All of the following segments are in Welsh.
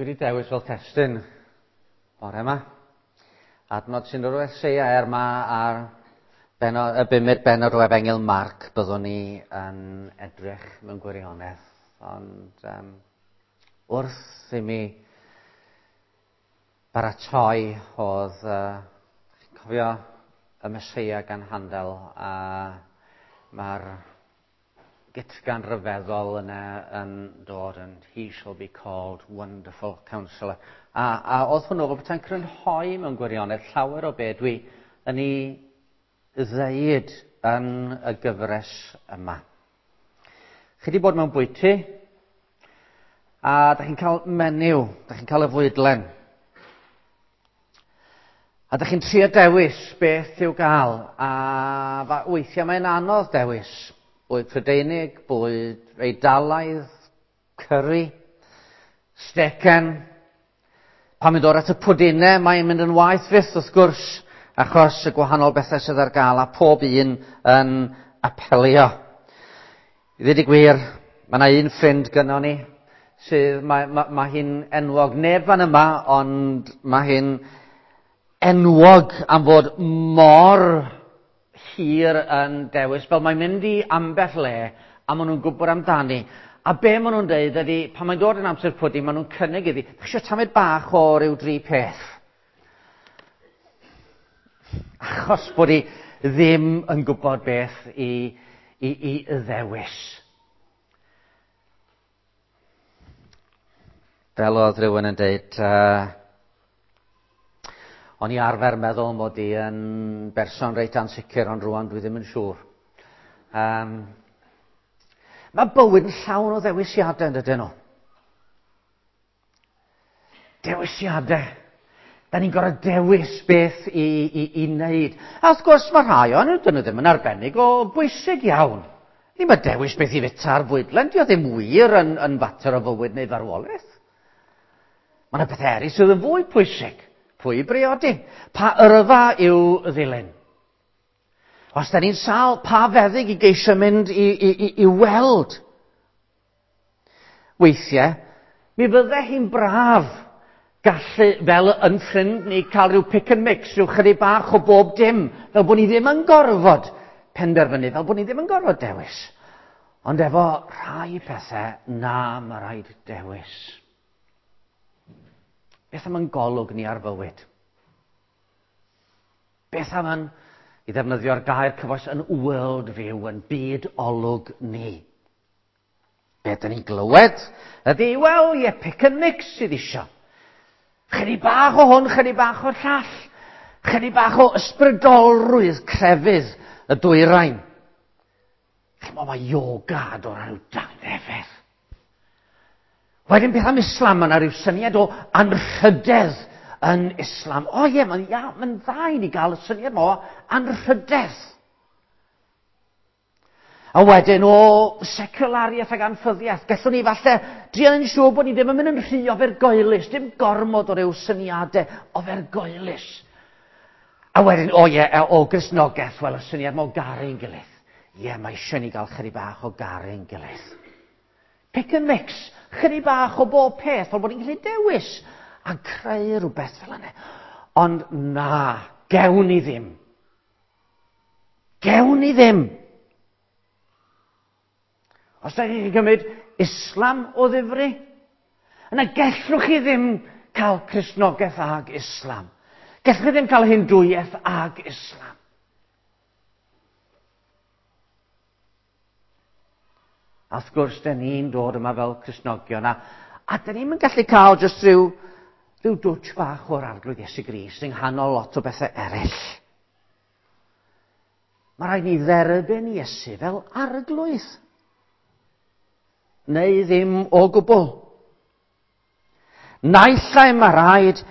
Dwi wedi dewis fel testun bore yma. Adnod sy'n dod o Eseia er ma ar benod, y bumed benod o Efengyl Marc byddwn ni yn edrych mewn gwirionedd. Ond um, wrth i mi baratoi oedd, uh, chi'n cofio y Meseia gan Handel a mae'r gytgan ryfeddol yna yn dod yn He shall be called Wonderful Counselor. A, a oedd hwnnw fel petai'n crynhoi mewn gwirionedd llawer o be dwi yn ei ddeud yn y gyfres yma. Chi wedi bod mewn bwyty, a da chi'n cael menyw, da chi'n cael y fwydlen. A da chi'n trio dewis beth i'w gael, a weithiau mae'n anodd dewis. Bwyd Prydeinig, bwyd Eidalaidd, curry, stecen. Pan mae'n dod at y pwdinau, mae'n mynd yn waeth fyth wrth gwrs, achos y gwahanol bethau sydd ar gael, a pob un yn apelio. I ddweud y gwir, mae yna un ffrind gynnon ni, sydd, mae, mae, mae hi'n enwog, neb fan yma, ond mae hi'n enwog am fod mor hir yn dewis, fel mae'n mynd i ambell le, a maen nhw'n gwybod amdani. A be maen nhw'n dweud ydy, pan mae'n dod yn amser pwdin, maen nhw'n cynnig iddi, chi eisiau tamed bach o ryw dri peth? Achos bod hi ddim yn gwybod beth i, i, i ddewis. Fel oedd rhywun yn dweud, uh, o'n i arfer meddwl mod i yn berson reit ansicr, ond rwan dwi ddim yn siŵr. Um, mae bywyd yn llawn o ddewisiadau yn dydyn nhw. Dewisiadau. Da ni'n gorfod dewis beth i, i, i wneud. A wrth gwrs mae rhai o'n nhw, dyn nhw ddim yn arbennig o bwysig iawn. Ddim y dewis beth i fita ar fwydlen, dio ddim wir yn, yn fater o fywyd neu farwolaeth. Mae yna bethau eraill sydd yn fwy pwysig. Pwy i briodi? Pa yrfa i'w ddilyn? Os da ni'n sâl, pa feddyg i geisio mynd i, i, i, i weld? Weithiau, mi fydde hi'n braf gallu, fel yn ffrind ni, cael rhyw pick and mix, rhyw chydig bach o bob dim, fel bod ni ddim yn gorfod penderfynu, fel bod ni ddim yn gorfod dewis. Ond efo rhai pethau, na, mae rhaid dewis. Beth am yn golwg ni ar fywyd? Beth am yn, i ddefnyddio'r gair cyfoes, yn world view, yn byd olwg ni? Be dyn ni'n glywed ydy, wel, ie, pick and mix sydd isio. Chydig bach o hwn, chydig bach o'r llall. Chydig bach o ysbrydolrwydd crefydd y dwyrain. Chymod, mae yoga a dod â rhyw dangnefedd. Wedyn beth am Islam? Mae yna rhyw syniad o anrhydedd yn Islam. O ie, mae'n ia, mae'n dda i ni gael y syniad yma o anrhydedd. A wedyn o seculariaeth ac anffyddiaeth, gallwn ni falle drial yn siŵr bod ni ddim yn mynd yn rhy ofergoelus, dim gormod o ryw syniadau ofergoelus. A wedyn, o ie, o Gristnogaeth, wel y syniad ma o garu'n gilydd. Ie, mae eisiau ni gael chydig bach o garu'n gilydd. Pick and mix, chydig bach o bob peth, fel bod ni'n gallu dewis a creu rhywbeth fel yna. Ond na, gewn ni ddim. Gewn ni ddim. Os da chi'n cymryd Islam o ddifri, yna gellwch chi ddim cael Cristnogaeth ag Islam. Gellwch chi ddim cael Hindwiaeth ag Islam. A wrth gwrs, da ni'n dod yma fel Cristnogion, a, a da ni'n gallu cael jyst rhyw, rhyw dwtch bach o'r Arglwydd Iesu Grist yng nghanol lot o bethau eraill. Mae rhaid ni dderbyn Iesu fel arglwydd. Neu ddim o gwbl. Naill ai mae rhaid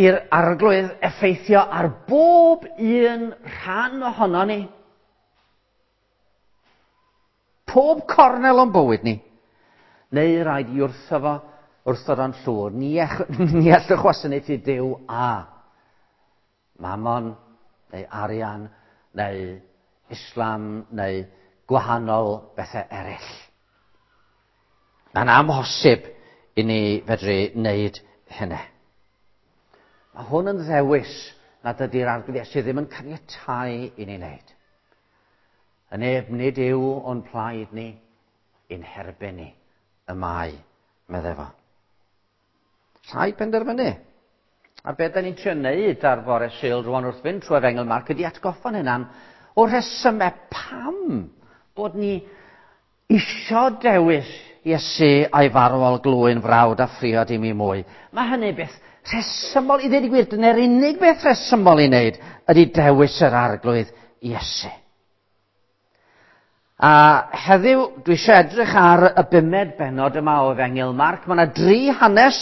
i'r arglwydd effeithio ar bob un rhan ohono ni. Pob cornel o'n bywyd ni. Neu rhaid i wrtho fo, wrtho fo'n llwyr. Ni, ni allwch wasanaethu Duw a Mammon, neu arian, neu Islam, neu gwahanol bethau eraill. Mae'n amhosib i ni fedru wneud hynny. Mae hwn yn ddewis nad ydy'r Arglwydd Iesu ddim yn caniatáu i ni wneud. Y neb nid yw o'n plaid ni, i'n herbyn ni, y mae, medde fo. Rhaid penderfynu. A beth da ni'n trio wneud ar fore Sul rwan wrth fynd trwy Efengyl Marc ydy atgoffa'n hunan o'r rhesymau pam bod ni isio dewis Iesu a'i farwol glwyn frawd a phriod i mi mwy. Mae hynny beth rhesymol, i ddweud y gwir, dyna'r unig beth rhesymol i wneud ydy dewis yr Arglwydd Iesu. A heddiw, dwi eisiau edrych ar y bumed bennod yma o Efengyl Marc. Mae yna dri hanes.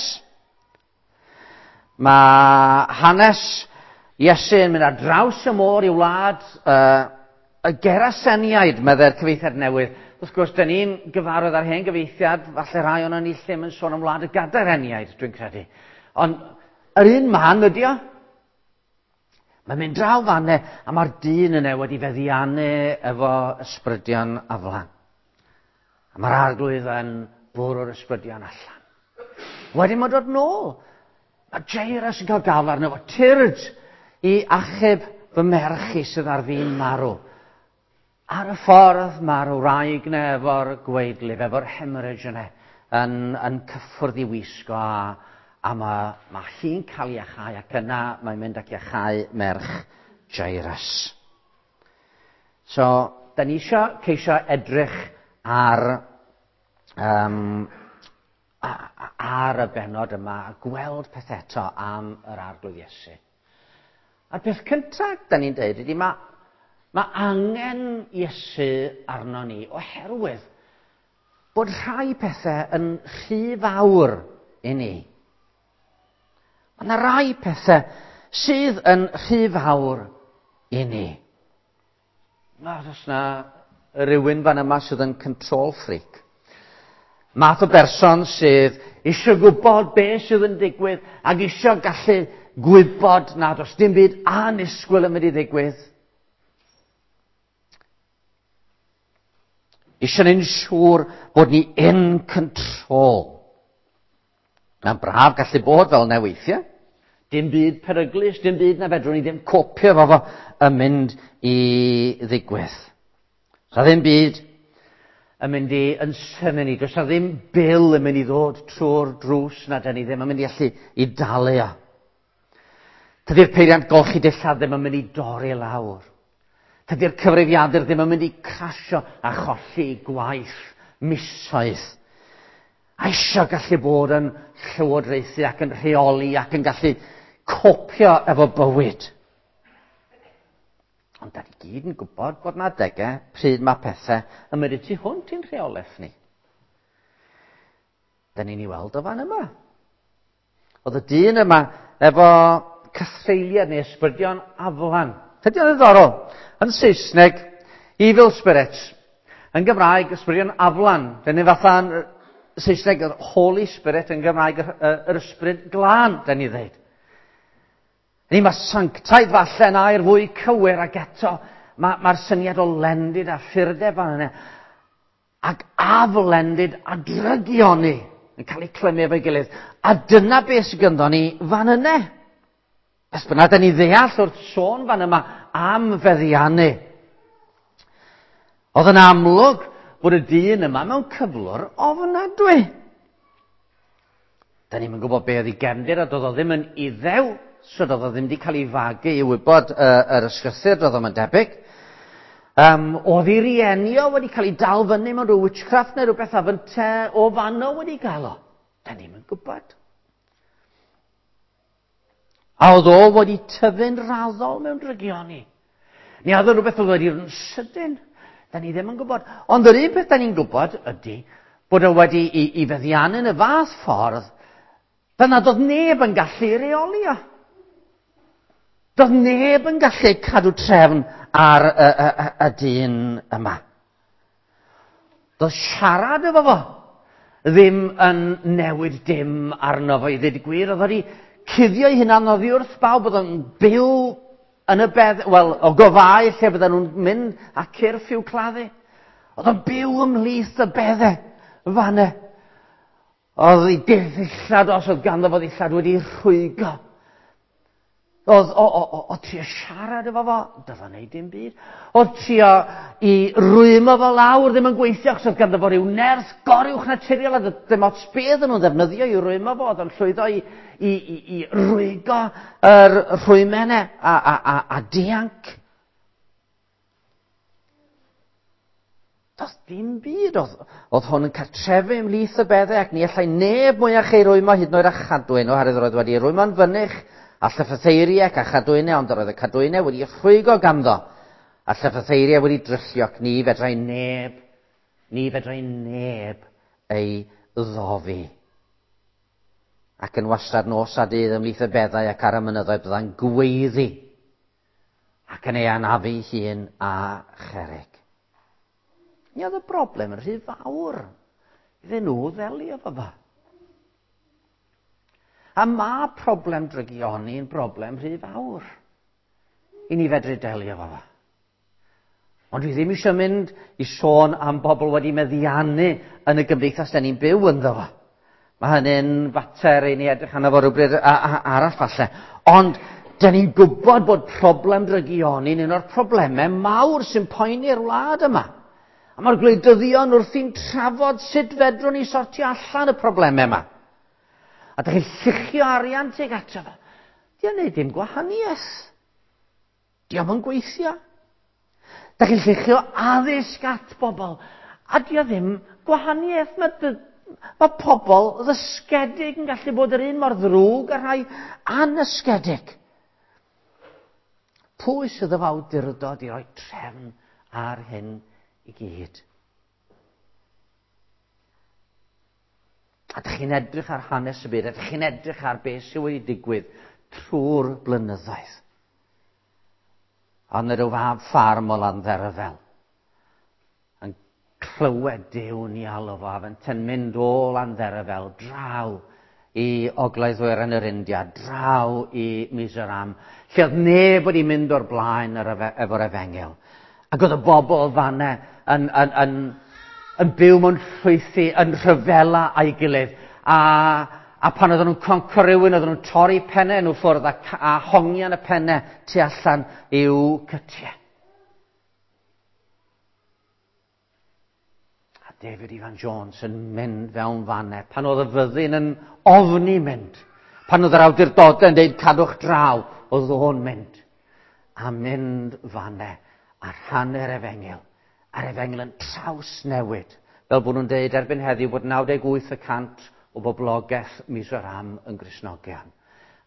Mae hanes Iesu yn mynd ar draws y môr i wlad y Geraseniaid, meddai'r cyfieithiad newydd. Wrth gwrs, dyn ni'n gyfarwydd ar hen gyfieithiad, falle rhai o'n ni lle yn sôn am wlad y Gadareniaid, dwi'n credu. Ond yr un man ydi o. Mae'n mynd draw fanne, a mae'r dyn yna wedi feddiannu efo ysbrydion aflan. A mae'r Arglwydd yn bwrw'r ysbrydion allan. Wedyn mae'n dod nôl. Mae Jairus yn cael gael arno fo. Tyrd i achub fy merch i sydd ar fin marw. Ar y ffordd mae'r wraig yna efo'r gwaedlif, efo'r hemorrhage yna, yn cyffwrdd i wisgo a mae hi'n cael ei iachau ac yna mae'n mynd ac iachau merch Jairus. So, da ni eisiau ceisio edrych ar y bennod yma a gweld peth eto am yr Arglwydd Iesu. A'r peth cyntaf da ni'n dweud ydy mae angen Iesu arno ni oherwydd bod rhai pethau yn rhy fawr i ni. Mae yna rai pethau sydd yn rhy fawr i ni. Os yna rhywun fan yma sydd yn control freak. Math o berson sydd eisiau gwybod beth sydd yn digwydd ac eisiau gallu gwybod nad oes dim byd annisgwyl yn mynd i ddigwydd. Eisiau ni'n siŵr bod ni in control. Mae'n braf gallu bod fel yna weithiau. Dim byd peryglus, dim byd na fedrwn ni ddim copio fo yn mynd i ddigwydd. Sa ddim byd yn mynd i yn synnu ni. Does na ddim bil yn mynd i ddod trwy'r drws na da ni ddim yn mynd i allu i dalu o. Tydi'r peiriant golchi dillad ddim yn mynd i dorri lawr. Tydi'r cyfrifiadur ddim yn mynd i crasio a cholli gwaith misoedd. A eisiau gallu bod yn llywodraethu ac yn rheoli ac yn gallu copio efo bywyd. Ond da ni gyd yn gwybod bod na adegau pryd mae pethau yn mynd i tu hwnt i'n rheolaeth ni. Da ni'n ei weld o fan yma. Oedd y dyn yma efo cythreuliad neu ysbrydion aflan. Ydy o'n ddiddorol? Yn Saesneg, evil spirits. Yn Gymraeg, ysbrydion aflan. Dyna fatha yn Saesneg, yr Holy Spirit, yn Gymraeg, yr ysbryd glân, da ni ddeud. Ni mae sanctaidd falle yn air fwy cywir ac eto mae'r syniad o lendid a ffurdeb fan yna ac aflendid a drygioni yn cael eu clymu efo'i gilydd. A dyna beth sydd ganddo ni fan yna. Beth bynnag da ni ddeall wrth sôn fan yma am feddiannu. Oedd yn amlwg bod y dyn yma mewn cyflwr ofnadwy. Da ni'm yn gwybod be oedd ei gefndir, a doedd o ddim yn Iddew, so doedd o ddim wedi cael ei fagu i wybod yr ysgrythur, doedd o'm yn debyg. Oedd ei rieni o wedi cael ei dal fyny mewn rhyw witchcraft neu rhywbeth a fynte o fanno wedi gael o. Da ni'm yn gwybod. A oedd o wedi tyfu'n raddol mewn drygioni. Ni oedd rhywbeth oedd wedi yn sydyn. Da ni ddim yn gwybod. Ond yr un peth da ni'n gwybod ydy bod o wedi i feddiannu yn y fath ffordd fel nad oedd neb yn gallu reoli o. Doedd neb yn gallu cadw trefn ar y dyn yma. Doedd siarad efo fo ddim yn newid dim arno fo i ddweud y gwir. Oedd wedi cuddio ei hunan oddi wrth bawb, oedd o'n byw yn y bedd, wel, o gofau lle bydden nhw'n mynd a cyrff i'w claddu. Oedd o'n byw ymhlith y beddau fanna. Oedd ei ddillad, os oedd ganddo fo ddillad, wedi rhwygo. Oedd o, o, o, o trio siarad efo fo, doedd o'n neud dim byd. Oedd trio i rwymo fo lawr ddim yn gweithio, achos oedd ganddo fo ryw nerth goruwch naturiol, a ddim ots beth o'n nhw'n ddefnyddio i rwymo fo, oedd o'n llwyddo i, i, i, i rwygo yr rhwymau a, a, a, a dianc. Doedd dim byd. Oedd, oedd hwn yn cartrefu ymhlith y beddau ac ni allai neb mwyach ei rwymo hyd yn oed â chadwyn oherwydd roedd wedi ei rwymo'n fynych a llyffetheiriau ac â chadwynau, ond yr oedd y cadwynau wedi rhwygo ganddo a llyffetheiriau wedi dryllio ac ni fedrai neb, ni fedrai neb ei ddofi. Ac yn wastad nos a dydd ymhlith y beddau ac ar y mynyddoedd bydda'n gweiddi ac yn ei anafu hun a cherrig. Mi oedd y broblem yn rhy fawr iddyn nhw ddelio efo fo. A mae problem drygioni yn broblem rhy fawr i ni fedru delio efo fo. Ond dwi ddim eisiau mynd i sôn am bobl wedi meddiannu yn y gymdeithas da ni'n byw ynddo fo. Mae hynny'n fater i ni edrych arno fo rhywbryd arall falle. Ond da ni'n gwybod bod problem drygioni'n un o'r problemau mawr sy'n poeni'r wlad yma. A mae'r gwleidyddion wrthi'n trafod sut fedrwn ni sortio allan y problemau yma. A da chi'n lluchio arian tuag ato fo. Di o'n neud dim gwahaniaeth. Di o'm yn gweithio. Da chi'n lluchio addysg at bobl. A di o ddim gwahaniaeth. Mae, mae pobl ddysgedig yn gallu bod yr un mor ddrwg â rhai anysgedig. Pwy sydd efo awdurdod i roi trefn ar hyn i gyd? A ydych chi'n edrych ar hanes y byd, ydych chi'n edrych ar beth sydd wedi digwydd trwy'r blynyddoedd. Ond yr fab ffarm o Landderfel yn clywed Duw'n i alw fo, a fe'n mynd o Landderfel draw i Ogledd Ddwyrain yr India, draw i Mizoram, lle oedd neb wedi mynd o'r blaen efo'r efengyl. Ac oedd y bobl fanne yn, yn, yn, yn byw mewn llwythi, yn rhyfela a'i gilydd. A, a pan oedden nhw'n conco rhywun, oedden nhw'n torri pennau nhw ffwrdd a, a hongian y pennau tu allan i'w cytiau. A David Ifan Jones yn mynd fewn fanne, pan oedd y fyddin yn ofni mynd, pan oedd yr awdurdodau yn dweud cadwch draw, oedd o'n mynd. A mynd fanne a rhannu'r efengyl. A'r efengyl yn trawsnewid. Fel bod nhw'n dweud erbyn heddiw bod 98% o boblogaeth Mizoram yn Gristnogion.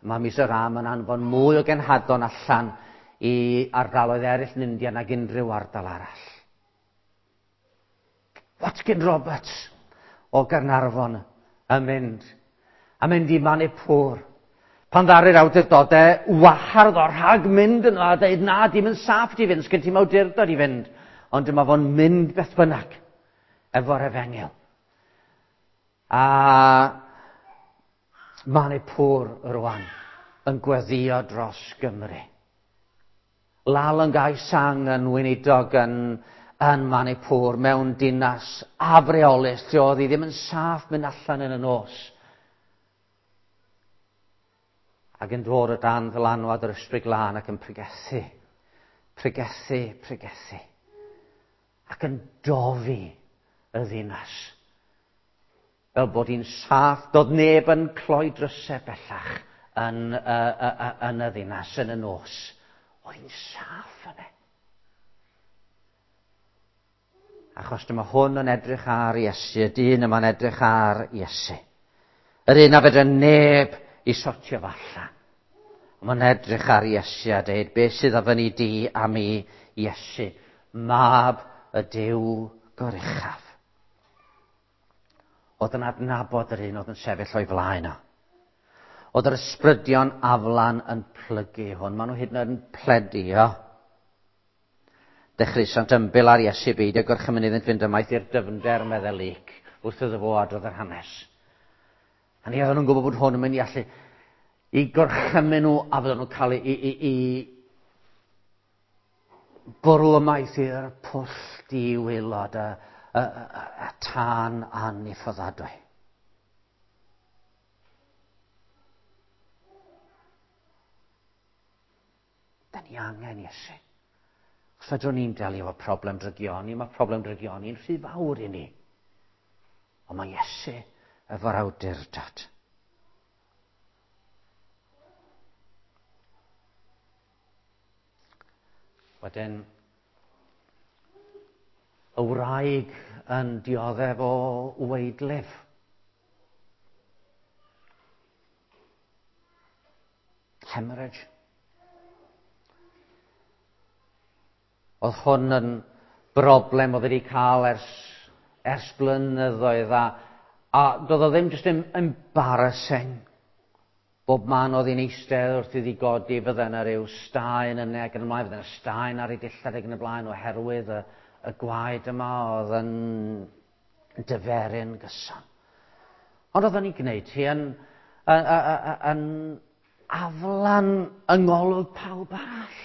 Mae Mizoram yn anfon mwy o genhadon allan i ardaloedd eraill yn India nag unrhyw ardal arall. Watkin Roberts o Gaernarfon yn mynd, a mynd i Manipur. Pan ddaru'r awdurdodau wahardd o rhag mynd yno a dweud na, dim yn saff di fynd, sgyn ti'n awdurdod i fynd. Ond dyma fo'n mynd beth bynnag efo'r efengyl. A Manipur rwan yn gweddio dros Gymru. Lal yn Gai Sang yn weinidog yn, yn Manipur mewn dinas afreolus lle oedd hi ddim yn saff mynd allan yn y nos. Ac yn dod o dan ddylanwad yr Ysbryd Glân ac yn pregethu, pregethu, pregethu. Ac yn dofi y ddinas. Fel bod hi'n saff, doedd neb yn cloi drysau bellach yn, uh, uh, yn y ddinas, yn y nos. Oedd hi'n saff yna. Achos dyma hwn yn edrych ar Iesu, y dyn yma'n edrych ar Iesu. Yr un a fedra neb i sortio fo allan. Mae'n edrych ar Iesu a dweud, beth sydd a fyny di a mi, Iesu, mab y Duw goruchaf. Oedd yn adnabod yr un oedd yn sefyll o'i flaen o. Oedd yr ysbrydion aflan yn plygu hwn. Maen nhw hyd yn oed yn pledio. Dechreusant ymbil ar Iesu beidio gorchymyn iddynt fynd ymaith i'r dyfnder meddai Luc wrth iddo fo adrodd yr hanes. A ni oedden nhw'n gwybod bod hwn yn mynd i allu i gorchymyn nhw a fydden nhw'n cael ei, i, i, i bwrw ymaith i'r pwll di-waelod y, y, y, y tân aniffyddadwy. Da ni angen Iesu. Os fedrwn ni'n delio efo problem drygioni, mae problem drygioni'n rhy fawr i ni. Ond mae Iesu efo'r awdurdod. Wedyn, y wraig yn dioddef o waedlif. Hemorrhage. Oedd hwn yn broblem oedd wedi cael ers blynyddoedd a doedd o ddim jyst yn embarrassing. Bob man oedd hi'n eistedd wrth iddi godi, fydde yna ryw staen yna ac yn y blaen, fydde yna staen ar ei dillad ac yn y blaen oherwydd y gwaed yma oedd yn dyferu'n gyson. Ond oedd o'n ei gwneud hi yn aflan yng ngolwg pawb arall.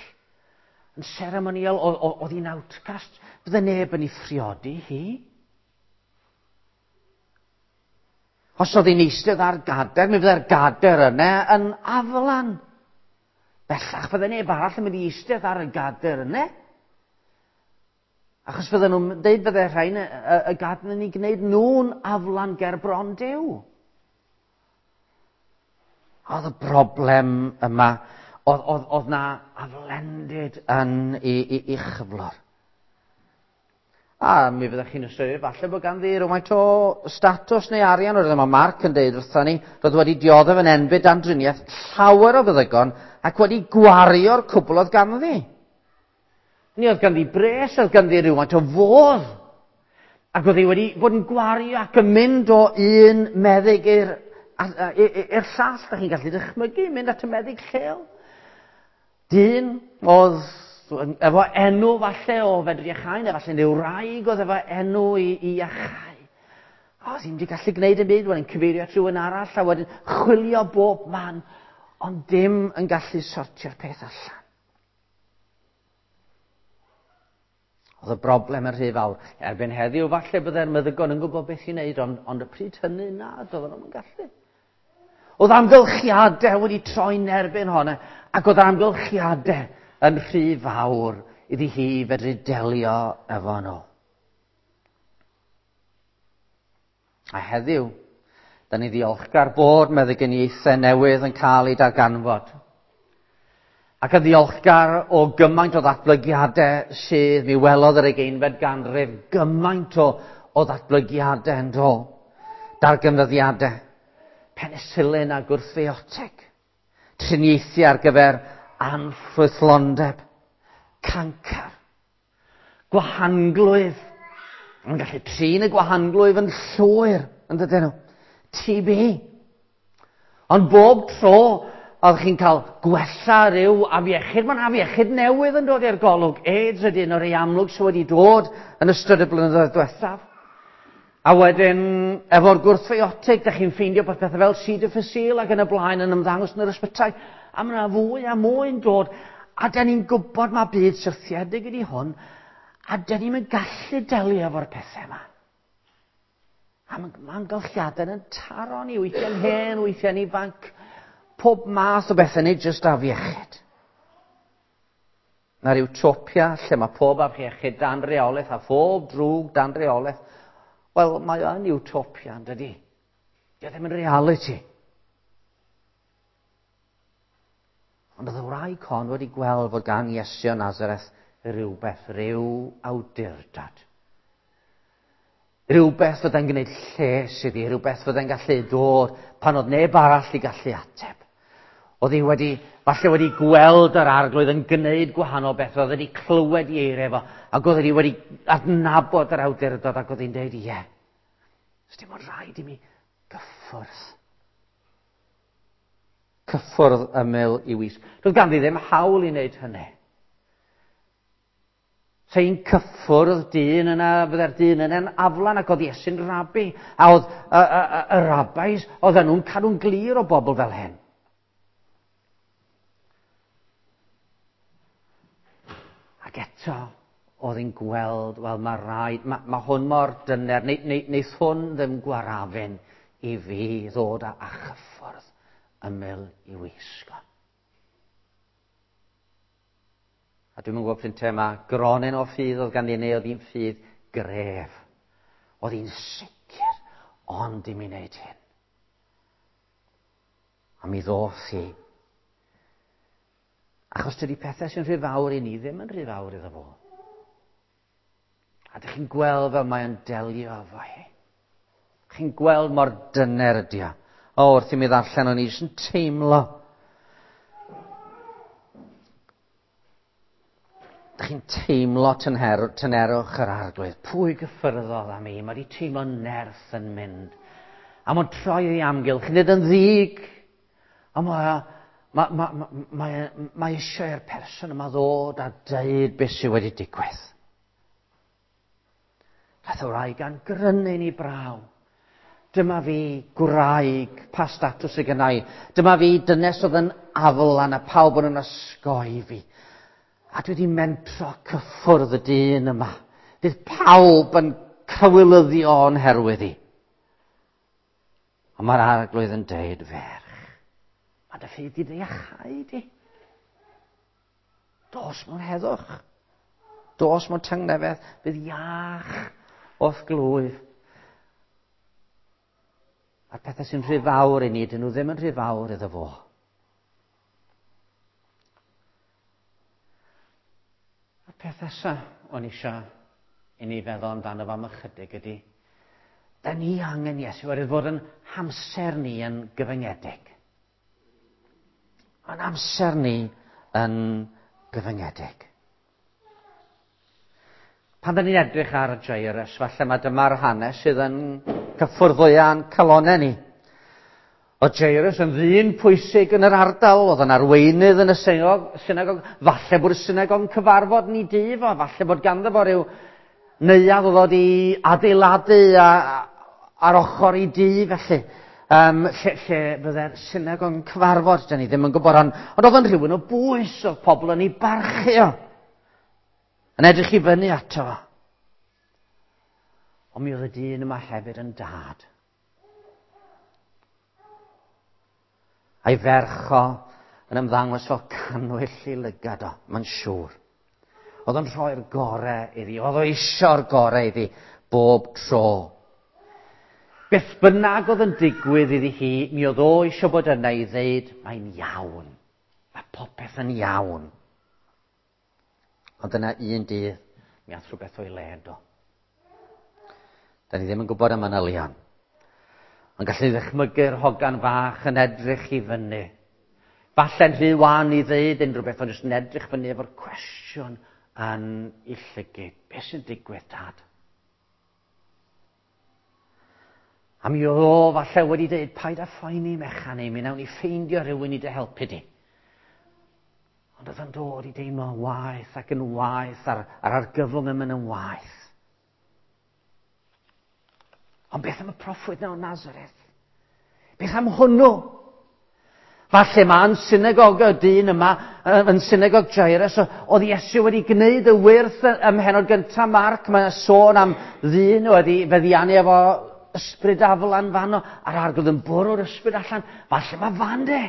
Yn seremoniol, oedd hi'n outcast. Fydde neb yn ei phriodi hi. Os oedd hi'n eistedd ar gader, mi fydde'r gader yna yn aflan. Bellach fydde neb arall yn mynd i eistedd ar y gader yna. Achos fydden nhw'n dweud fydde rhain y gader yn ei gwneud nhw'n aflan ger bron Duw. Oedd y broblem yma, oedd na aflendid yn ei chyflwr. A mi fyddech chi'n ystyried falle bod ganddi rhywfaint o statws neu arian. Oherwydd mae Mark yn deud wrthon ni, roedd wedi dioddef yn enbyd dan driniaeth llawer o feddygon ac wedi gwario'r cwbl oedd ganddi. Ni oedd ganddi bres, oedd ganddi rhywfaint o fodd. Ac oedd hi wedi bod yn gwario ac yn mynd o un meddyg i'r llall. Da chi'n gallu dychmygu, mynd at y meddyg lleol. Dyn oedd efo enw falle o fedru iachau, neu falle neu wraig oedd efo enw i iachau. Oedd hi'n wedi gallu gwneud yn byd, wedyn cyfeirio at rhywun arall, a wedyn chwilio bob man, ond dim yn gallu sortio'r peth allan. Oedd y broblem yn rhy fawr. Erbyn heddiw, falle byddai'r meddygon yn gwybod beth i wneud, ond y pryd hynny, na, doedden nhw'n gallu. Oedd amgylchiadau wedi troi'n erbyn honna, ac oedd amgylchiadau yn rhy fawr iddi hi fedru delio efo nhw. A heddiw, da ni ddiolchgar bod meddyginiaethau newydd yn cael eu darganfod. Ac yn ddiolchgar o gymaint o ddatblygiadau sydd mi welodd yr 20fed ganrif, gymaint o ddatblygiadau yn do. Darganfyddiadau, penicillin a gwrthfiotig, triniaethau ar gyfer anffrwythlondeb, cancer, gwahanglwyf. Yn gallu trin y gwahanglwyf yn llwyr, yn dydyn nhw. TB. Ond bob tro oedd chi'n cael gwella rhyw afiechyd, mae'n afiechyd newydd yn dod i'r golwg. AIDS ydy un o'r rhai amlwg sydd wedi dod yn ystod y blynyddoedd diwethaf. A wedyn, efo'r gwrthfiotig, da chi'n ffeindio bod pethau fel C. difficile ac yn y blaen yn ymddangos yn yr ysbytai. A mae yna fwy a mwy yn dod. A da ni'n gwybod mae byd syrthiedig ydy hwn, a da ni'n gallu delio efo'r pethau yma. A mae amgylchiadau yn taro ni, weithiau'n hen, weithiau'n ifanc, pob math o bethau, nid jyst afiechyd. Mae'r utopia lle mae pob afiechyd dan reolaeth a phob drwg dan reolaeth. Wel, mae o'n utopia, yn dydi? Dio ddim yn reality. Ond oedd y wraig hon wedi gweld fod gan Iesu o Nazareth rhywbeth, rhyw awdurdod. Rhywbeth fyddai'n gwneud lles iddi, rhywbeth fyddai'n gallu dod pan oedd neb arall i gallu ateb. Oedd hi wedi, falle wedi gweld yr arglwydd yn gwneud gwahanol beth, oedd wedi clywed i eiriau fo, ac oedd hi wedi adnabod yr awdurdod, ac oedd hi'n dweud, ie, dim ond rhaid i mi gyffwrdd. Cyffwrdd ymyl i wisg. Doedd ganddi ddim hawl i wneud hynny. Se hi'n cyffwrdd dyn yna, fydde'r dyn yna'n aflan, ac oedd Iesu'n rabi. A oedd y rabbis, oedden nhw'n cadw'n glir o bobl fel hyn. Ac eto, oedd hi'n gweld, wel mae rhaid, mae hwn mor dyner, neith hwn ddim gwarafun i fi ddod a chyffwrdd ymyl i wisgo. A dwi'm yn gwybod pryn te mae gronyn o ffydd oedd ganddi neu oedd hi'n ffydd gref. Oedd hi'n sicr, ond i mi wneud hyn. A mi ddoth hi. Achos dydy pethau sy'n rhy fawr i ni ddim yn rhy fawr iddo fo. A dych chi'n gweld fel mae o'n delio efo hi. Chi'n gweld mor dyner ydi o. O, wrth i mi ddarllen o'n i jyst yn teimlo. Dych chi'n teimlo tynher, tynerwch yr arglwydd. Pwy gyffyrddodd am i? Mae wedi teimlo nerth yn mynd. A mae'n troi ei amgylch, nid yn ddig. A mae, mae, mae, mae, mae, mae eisiau i'r person yma ddod a deud beth sydd wedi digwydd. Daeth y wraig gan grynu'n ei braw. Dyma fi, gwraig, pa statws sy gynna i? Dyma fi, dynes oedd yn aflan a pawb yn yn osgoi fi. A dwi wedi mentro cyffwrdd y dyn yma. Bydd pawb yn cywilyddio o'n herwydd i. Ond mae'r arglwydd yn deud, ferch, mae dy ffydd di dy iachau di. Dos mewn heddwch. Dos mewn tangnefedd. Bydd iach o'th glwyf. A'r pethau sy'n rhy fawr i ni, dyn nhw ddim yn rhy fawr iddo fo. A'r peth nesaf o'n eisiau i ni feddwl amdano fo am ychydig ydy, da ni angen Iesu oherwydd fod yn hamser ni yn gyfyngedig. Mae'n amser ni yn gyfyngedig. Pan da ni'n edrych ar Jairus, falle mae dyma'r hanes sydd yn cyffwrdd fwya'n calonau ni. Oedd Jairus yn ddyn pwysig yn yr ardal, oedd yn arweinydd yn y synagog, synagog, falle bod y synagog yn cyfarfod ni dŷ fo, falle bod ganddo fo rhyw neuadd oedd wedi adeiladu a, ar ochr i dŷ felly. Um, lle, lle fydde'r synagog yn cyfarfod, da ni ddim yn gwybod, ond, ond oedd yn rhywun o bwys, oedd pobl yn ei barchu o. Yn edrych i fyny ato fo. Ond mi oedd y dyn yma hefyd yn dad. A'i ferch o yn ymddangos fel cannwyll i lygad o, mae'n siŵr. Oedd o'n rhoi'r gorau iddi, oedd o eisiau'r gorau iddi bob tro. Beth bynnag oedd yn digwydd iddi hi, mi oedd o eisiau bod yna i ddeud, mae'n iawn. Mae popeth yn iawn. Ond yna un dydd, mi ath rhywbeth o'i le do. Da ni ddim yn gwybod y manylion. Ond gallu ddychmygu'r hogan fach yn edrych i fyny. Falle'n rhy wan i ddeud unrhyw beth, ond jyst yn edrych fyny efo'r cwestiwn yn ei llygyd. Be sy'n digwydd, tad? A mi oedd o falle wedi dweud, paid â phoeni mechan ei, mi nawn ni ffeindio rhywun i dy helpu di. Ond oedd o'n dod i deimlo yn waeth ac yn waeth a'r, a'r argyfwng yn mynd yn waeth. Ond beth am y proffwyd na o Nazareth? Beth am hwnnw? Falle mae yn synagog y dyn yma, yn synagog Jairus, oedd Iesu wedi gwneud y wyrth ym mhenod gyntaf Marc, mae'n sôn am ddyn wedi feddiannu efo ysbryd aflan fanno, a'r arglwydd yn bwrw'r ysbryd allan. Falle mae fan de.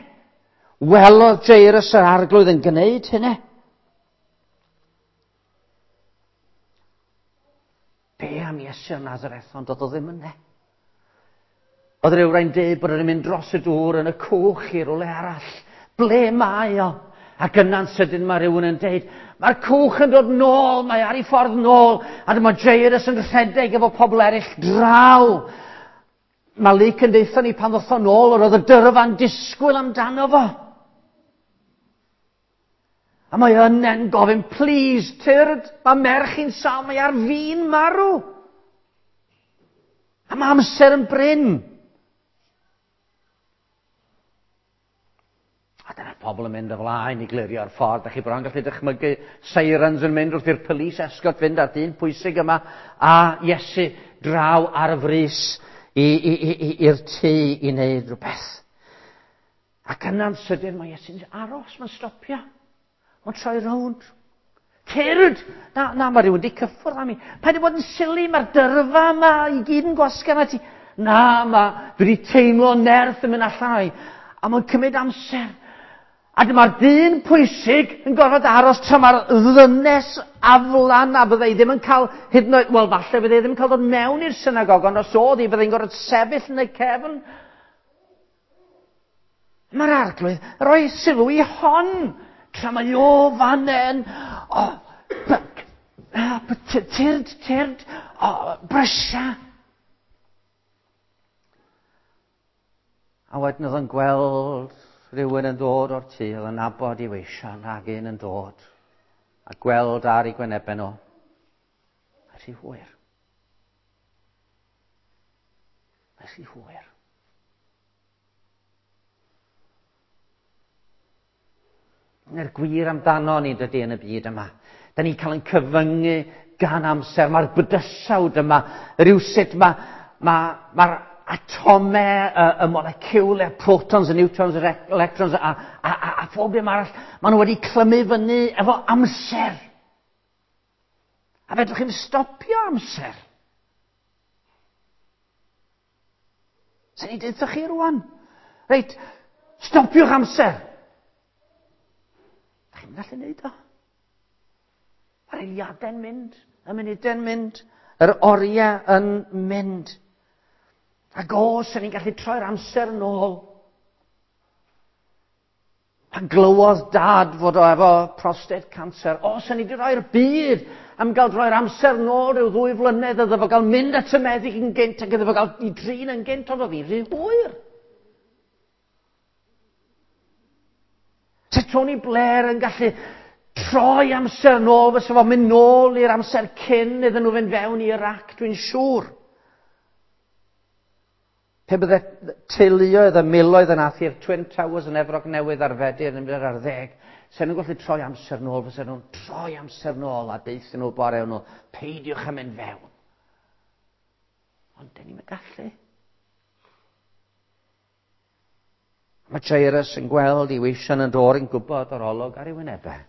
Welodd Jairus yr arglwydd yn gwneud hynny. Be am Iesu o Nazareth, ond doedd o ddim yna. Oedd rhyw rai'n dweud bod o'n mynd dros y dŵr yn y cwch i rywle arall. Ble mae o? Ac yna'n sydyn mae rhywun yn deud, mae'r cwch yn dod nôl, mae ar ei ffordd nôl, a dyma Jairus yn rhedeg efo pobl eraill draw. Mae Luc yn deutha ni pan ddoth o nôl, yr oedd y dyrfa'n disgwyl amdano fo. A mae yna'n gofyn, please, tyrd, mae merch i'n sâl, mae ar fin marw. A mae amser yn brin. A dyna'r pobl yn mynd o flaen i glirio'r ffordd. Da chi bron gallu dychmygu sirens yn mynd wrth i'r police escort fynd a'r dyn pwysig yma a Iesu draw ar y frys i'r tŷ i wneud rhywbeth. Ac yna'n sydyn mae Iesu'n aros, mae'n stopio. Mae'n troi rownd. Tyrd! Na, na, mae rhywun wedi cyffwrdd â mi. Paid â bod yn sili, mae'r dyrfa yma i gyd yn gwasgu arna ti. Na, mae, dwi wedi teimlo nerth yn mynd allan o'i. A mae'n cymryd amser. A dyma'r dyn pwysig yn gorfod aros tra mae'r ddynes aflan a byddai ddim yn cael, hyd yn oed, wel falle byddai ddim yn cael dod mewn i'r synagog, ond os oedd hi, byddai'n gorfod sefyll yn y cefn. Mae'r arglwydd roi sylw i hon tra mae o fan hyn. O, tyrd, tyrd, o, brysia. A wedyn oedd yn gweld rhywun yn dod o'r tŷ, oedd yn nabod i weision ac un yn dod, a gweld ar ei gwynebau nhw. A rhy hwyr. Mae rhy hwyr. Mae'r gwir amdano ni dydy yn y byd yma. Da ni'n cael ein cyfyngu gan amser. Mae'r bydysawd yma, rhywsut mae ma, mae'r atomau, y, y moleciwlau, protons, y newtrons, yr electrons a, a, a, a phob dim arall, maen nhw wedi clymu fyny efo amser. A fedrwch chi'n stopio amser. Sa'n i'n dweud chi rwan? Reit, stopiwch amser. Da chi'n gallu neud o? Mae'r eiliadau'n mynd, y munudau'n mynd, yr oriau yn mynd. Ac os ydyn ni'n gallu troi'r amser yn ôl. Pan glywodd dad fod o efo prostate cancer, os ydyn ni wedi rhoi'r byd am gael droi'r amser nôl rhyw ddwy flynedd iddo fo gael mynd at y meddyg yn gynt ac iddo fo gael i drin yn gynt, ond oedd hi'n rhy hwyr. Se Tony Blair yn gallu troi amser nôl, fysa fo'n mynd nôl i'r amser cyn iddyn nhw fynd fewn i Iraq, dwi'n siŵr. Pe bydde teuluoedd y miloedd yn ath i'r Twin Towers yn Efrog Newydd ar Fedi'r yn ar ddeg, se nhw'n gallu troi amser nôl, fysa nhw'n troi amser nôl a deuthyn nhw bore nhw, peidiwch am mynd fewn. Ond dyn ni'n gallu. Mae Jairus yn gweld i weision yn dod yn gwybod o'r olwg ar ei wynebau.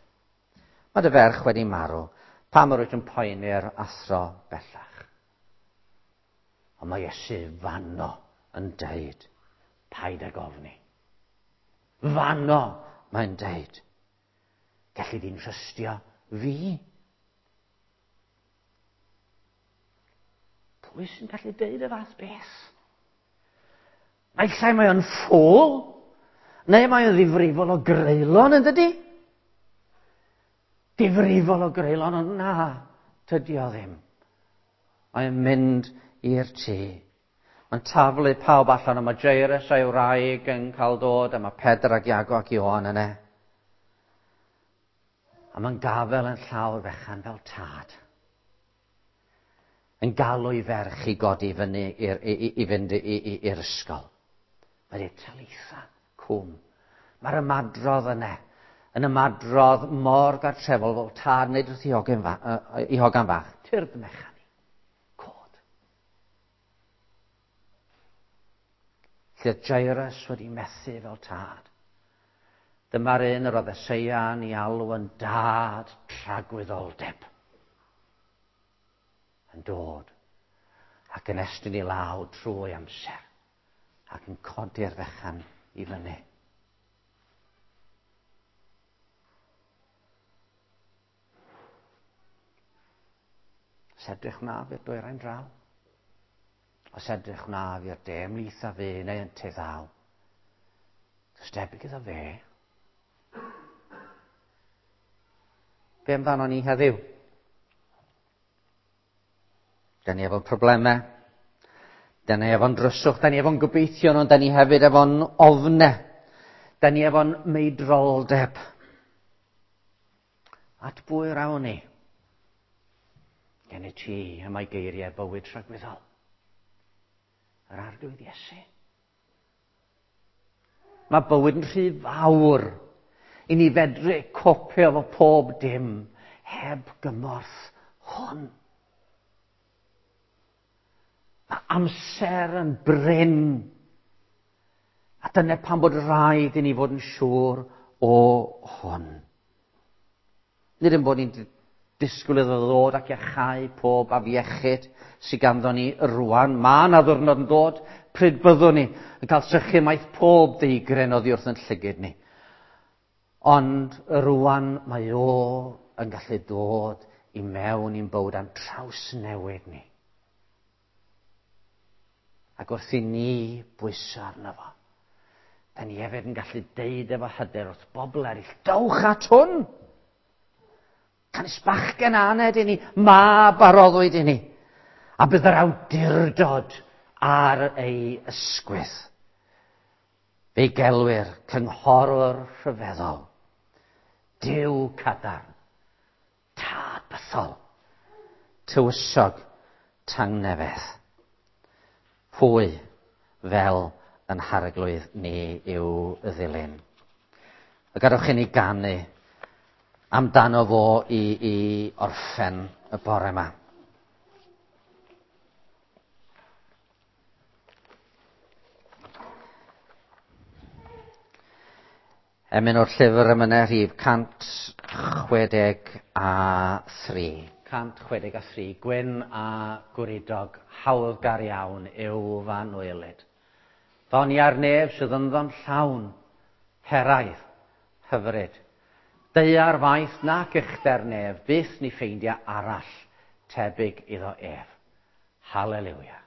Mae dy ferch wedi marw. Pam yr wyt yn poeni'r athro bellach? Ond mae Iesu fanno yn deud, paid ag ofni. Fanno mae'n deud, gelli di'n trystio fi. Pwy sy'n gallu deud y fath beth? Naill ai mae o'n ffôl, neu mae o'n ddifrifol o greulon, yn dydy? Difrifol o greulon, ond na, tydi o ddim. Mae'n mynd i'r tŷ. Mae'n taflu pawb allan, a mae Jairus a'i wraig yn cael dod, a mae Pedr ac Iago ac Ioan yna. A mae'n gafel yn llawr fechan fel tad. Yn galw i ferch i godi fyny i'r, i, i, i fynd i'r ysgol. Mae dweud, talitha cwm. Mae'r ymadrodd yna yn ymadrodd mor gartrefol fel tad wneud wrth i hogan, fa, i hogan fach. Tyrd mechan i. Cod. Lle Jairus wedi methu fel tad. Dyma'r un yr oedd Eseia'n ei alw yn dad tragwyddoldeb. Yn dod ac yn estyn i law trwy amser ac yn codi'r fechan i fyny. Os edrych wnaf i'r dwyrain draw, os edrych wnaf i'r de, ymhlith a fe neu yn te ddaw. Does debyg iddo fe. Be amdano ni heddiw? Da ni efo'n problemau. Da ni efo'n dryswch. Da ni efo'n gobeithion, ond da ni hefyd efo'n ofne. Da ni efo'n meidroldeb. At bwy rawn ni? Gen i ti y mae geiriau bywyd tragwyddol. Yr arglwydd Iesu. Mae bywyd yn rhy fawr i ni fedru copio efo pob dim heb gymorth hwn. Mae amser yn brin. A dyna pam bod rhaid i ni fod yn siŵr o hwn. Nid yn bod ni'n disgwyl iddo ddod ac iachau pob afiechyd sydd ganddo ni rwan. Mae yna ddwrnod yn dod pryd byddwn ni yn cael sychu maith pob deigren oddi wrth yn llygyd ni. Ond rwan mae o yn gallu dod i mewn i'n bywyd a'n trawsnewid ni. Ac wrth i ni bwyso arno fo, da ni hefyd yn gallu deud efo hyder wrth bobl eraill, dowch at hwn! Canys bachgen aned i ni, mab a roddwyd i ni, a bydd yr awdurdod ar ei ysgwydd. Fe'i gelwir cynghorwr rhyfeddol, Duw cadarn, tad bythol, tywysog tangnefedd. Pwy fel yn harglwydd ni i'w ddilyn. A gadewch i ni ganu amdano fo i, i orffen y bore yma. Emyn o'r llyfr emynau rhif 163. 163, gwyn a gwridog, hawddgar iawn yw fan oelyd. Ddonia'r nef sydd ynddo'n llawn, heraidd, hyfryd. Daear faith nac uchder nef, byth ni ffeindia arall tebyg iddo ef. Haleluia.